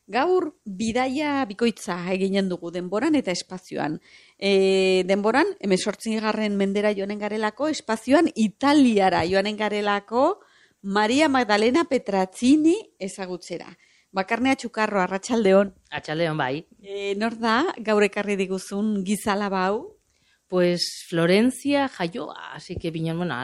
Gaur bidaia bikoitza eginen dugu denboran eta espazioan. Denboran, 18. mendera joanen garelako, espazioan Italiara joanen garelako Maria Magdalena Petrazzini ezagutzera. Bakarnea Txukarro, arratsaldeon. Arratsaldeon bai. Nor da gaur ekarri diguzun gizalaba hau? Pues Florencia jaioa, así que binen, bueno,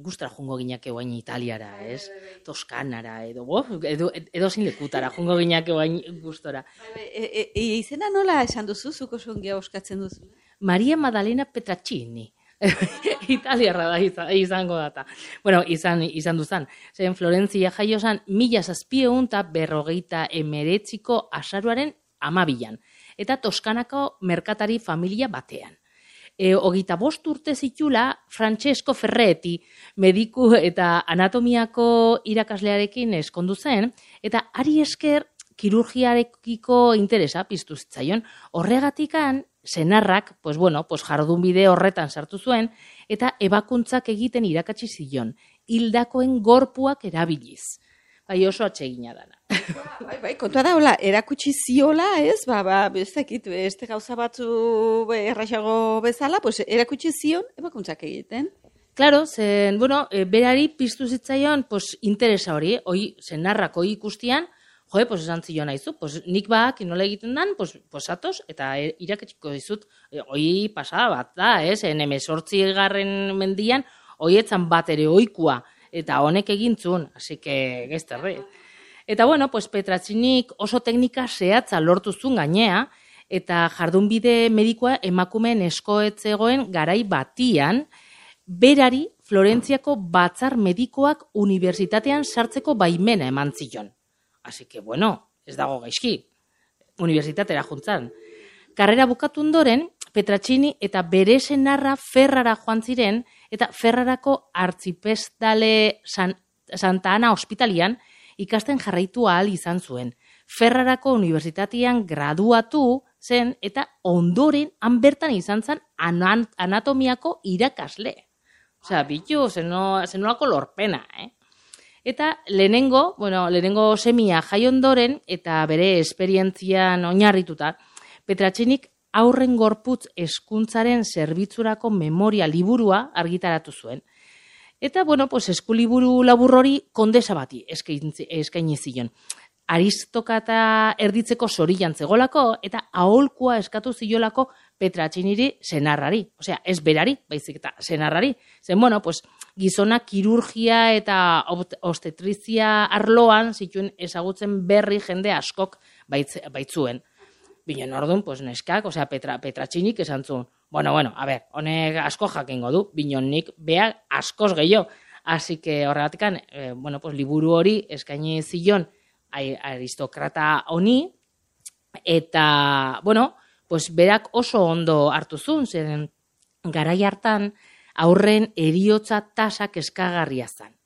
gustra jungo ginake guain Italiara, ez? Toskanara, edo sin lekutara jungo ginake guain gustora. Izena nola esan duzu, zuko songia oskatzen duzu? Maria Magdalena Petrazzini. Italiarra da izango data. Bueno, izan duzan. Zen Florencia jaiosan 1759ko azaroaren 12an. Eta Toskanako merkatari familia batean. 25 urte zitula Francesco Ferretti mediku eta anatomiako irakaslearekin eskondu zen, eta hari esker kirurgiarekiko interesa piztu zitzaion. Horregatikan senarrak, jardunbide horretan sartu zuen, eta ebakuntzak egiten irakatsi zion, hildakoen gorpuak erabiliz. Bai, oso atsegina dana. Bai, kontua da, hola, erakutsi ziola, ez? Beste gauza batzu erraxago bezala, erakutsi zion, ebakuntzak egiten. Claro, zen, berari piztu zitzaion, interesa hori, senarrak hori ikustian, esan zion haizu, nik nola egiten dan, atoz, eta iraketsiko dizut, hori pasada bat da, ez? 18. mendian, hori etzan bat ere ohikoa, eta honek egintzun, así que gezterre. Eta Petrazzinik oso teknika zehatza lortu zuen gainea, eta jardunbide medikoa emakumeen eskoetzegoen garai batian, berari Florentziako batzar medikoak unibertsitatean sartzeko baimena eman zion. Así que, ez dago gaizki, unibertsitatera juntzan. Karrera bukatu ondoren, Petrazzini eta bere senarra Ferrara joan ziren, eta Ferrarako artzipestale Santa Ana ospitalian ikasten jarraitu ahal izan zuen. Ferrarako unibertsitatean graduatu zen, eta ondoren han bertan izan zen anatomiako irakasle. Osea, bitu, zenolako lorpena, Eta lehenengo semia jai ondoren, eta bere esperientzian oinarrituta, Petrazzinik aurren gorputz hezkuntzaren zerbitzurako memoria liburua argitaratu zuen. Eta, eskuliburu labur hori kondesa bati eskaini zion. Aristokata erditzeko zorian zegolako, eta aholkua eskatu ziolako Petrazziniri senarrari. Osea, ez berari, baizik eta senarrari. Zen, gizona kirurgia eta obstetrizia arloan zituen ezagutzen berri jende askok baitzuen. Binen orduan, neskak, Petrazzinik esan zuen, honek asko jakingo du, binen nik beha askoz gehiago. Así que horregatikan, liburu hori eskaini zion aristokrata honi, eta, berak oso ondo hartu zuen, zen garai hartan aurren eriotza tasak eskagarria zen.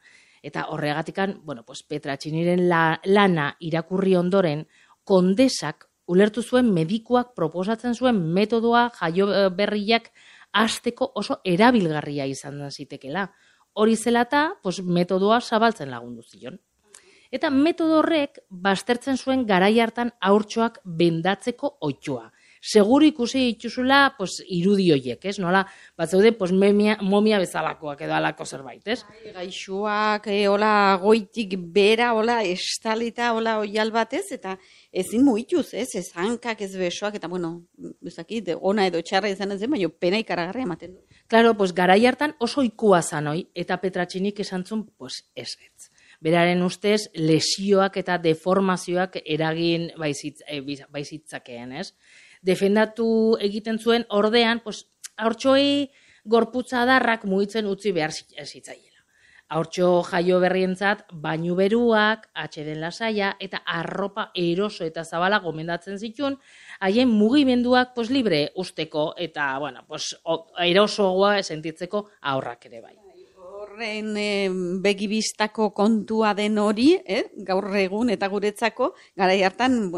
Eta horregatikan, Petrazziren lana irakurri ondoren, kondesak ulertu zuen medikuak proposatzen zuen metodoa jaio berriak hasteko oso erabilgarria izan zitekela. Hori zelata, metodoa zabaltzen lagundu zion. Eta metodo horrek baztertzen zuen garai hartan haurtxoak bendatzeko ohitua. Seguru ikusi dituzula irudi horiek, ez? Nola, batzeude momia bezalakoak edo alako zerbait, ez? Gaixoak, goitik bera, estalita, oial batez, eta ezin muituz, ez? Ez hankak, ez besoak, eta ona edo txarra izan ez den, baina pena ikaragarria ematen du. Claro, garai hartan oso ikua zanoi, eta Petrazzinik esan zuen, ez. Beraren ustez, lesioak eta deformazioak eragin baizitzakeen, ez? Defendatu egiten zuen ordean, haurtxoei gorputza adarrak mugitzen utzi behar zitzaiela. Haurtxo jaio berrientzat, bainu beruak, atxeden lasaia, eta arropa eroso eta zabala gomendatzen zituen, haien mugimenduak libre usteko, eta erosoagoa sentitzeko aurrak ere bai. Horren begibistako kontua den hori, gaur egun eta guretzako, garai hartan,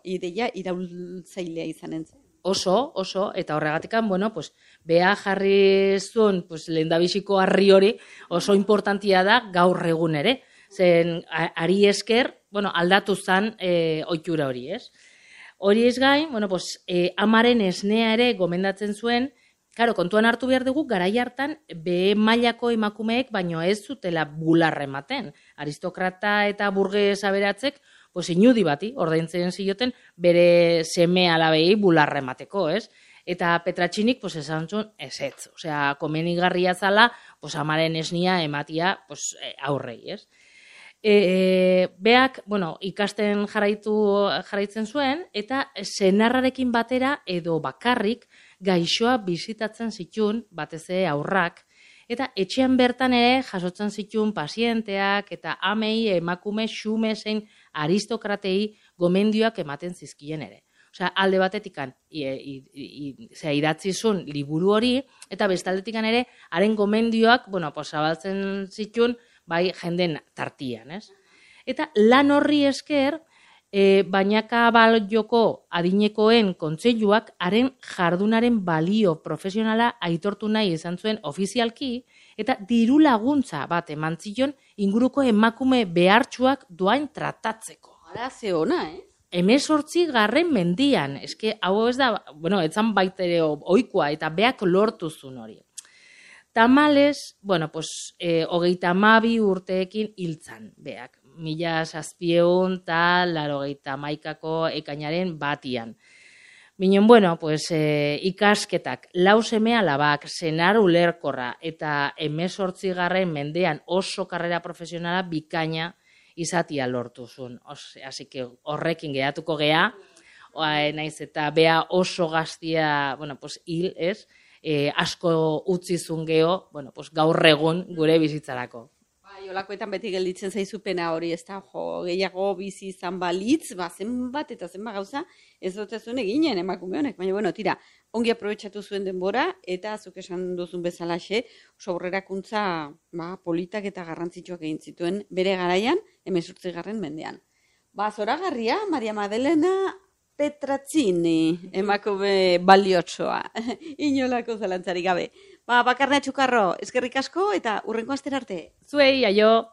ideia iraultzailea izanen zen. Oso, eta horregatikan, beha jarri zuen, lehendabiziko harri hori oso importantia da gaur egun ere. Zen, ari esker, aldatu zen ohitura hori, ez? Hori ez gain, amaren esnea ere gomendatzen zuen. Claro, kontuan hartu behar dugu, garai hartan, behe mailako emakumeek, baino ez zutela bularra ematen. Aristokrata eta burges aberatzek, inudi bati, ordaintzen zioten, bere seme alabei bularra emateko, ez? Eta Petratxinik, esan zuen, ezetz. Osea, komenigarria zala, amaren esnia ematia, aurrei, ez? Beak, ikasten jarraitzen zuen, eta senarrarekin batera edo bakarrik, gaixoa bizitatzen zituen, batez ere aurrak, eta etxean bertan ere jasotzen zituen pazienteak eta amei, emakume, xume zein aristokratei gomendioak ematen zizkien ere. Osea, alde batetikan idatzi zuen liburu hori, eta bestaldetikan ere, haren gomendioak, zabaltzen zituen, bai jenden tartian, ez? Eta lan horri esker, bainaka balioko adinekoen kontseiluak haren jardunaren balio profesionala aitortu nahi izan zuen ofizialki eta diru laguntza bat eman zion inguruko emakume behartsuak doain tratatzeko. Ara, ze ona, 18. mendian, eske hau ez da, etzan baitere ohikoa eta beak lortu zuen hori. Tamales, 32 urteekin hiltzan beak. 1781 ekainaren batian. Minen, ikasketak, lau seme alabak, senar ulerkorra eta 18. mendean oso karrera profesionala bikaina izatia lortu zuen. Así que horrekin geratuko gea, naiz eta bea oso gaztia, hil, ez? Asko utzi zuen geho, gaur egun gure bizitzarako. Olakoetan beti gelditzen zaizupena hori, ez da, gehiago bizi izan balitz, zenbat eta zenbat gauza, ez dut zuen eginen emakume honek, baina, tira, ongi aprobetxatu zuen denbora, eta zuk esan duzun bezalaxe, oso aurrerakuntza politak eta garrantzitsuak egin zituen bere garaian, 18. mendean. Zoragarria, Maria Madelena Petrazzini, emakume baliotsoa, inolako zalantzarik gabe. Bakarna Txukarro, eskerrik asko eta hurrengo astera arte. Zuei, aio!